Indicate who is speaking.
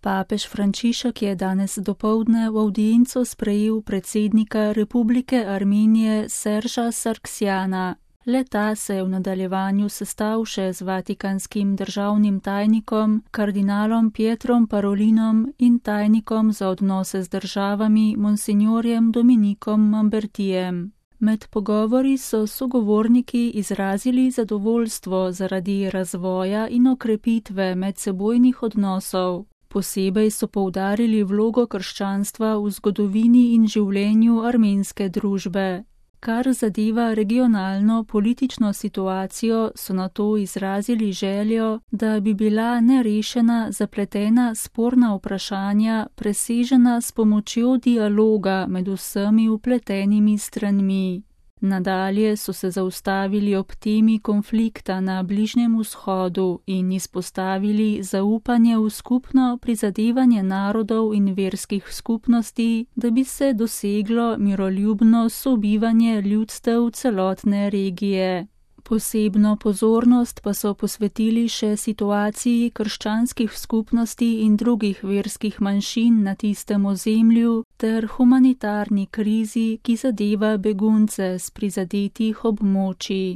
Speaker 1: Papež Frančišek je danes dopoldne v avdienco sprejel predsednika Republike Armenije Serža Sargsjana. Le-ta se je v nadaljevanju sestal še z vatikanskim državnim tajnikom, kardinalom Pietrom Parolinom in tajnikom za odnose z državami monsignorjem Dominikom Mambertijem. Med pogovori so sogovorniki izrazili zadovoljstvo zaradi razvoja in okrepitve medsebojnih odnosov. Posebej so poudarili vlogo krščanstva v zgodovini in življenju armenske družbe. Kar zadeva regionalno politično situacijo, so nato izrazili željo, da bi bila nerešena zapletena sporna vprašanja presežena s pomočjo dialoga med vsemi vpletenimi stranmi. Nadalje so se zaustavili ob temi konflikta na Bližnjem vzhodu in izpostavili zaupanje v skupno prizadevanje narodov in verskih skupnosti, da bi se doseglo miroljubno sobivanje ljudstev celotne regije. Posebno pozornost pa so posvetili še situaciji krščanskih skupnosti in drugih verskih manjšin na tistem ozemlju ter humanitarni krizi, ki zadeva begunce s prizadetih območij.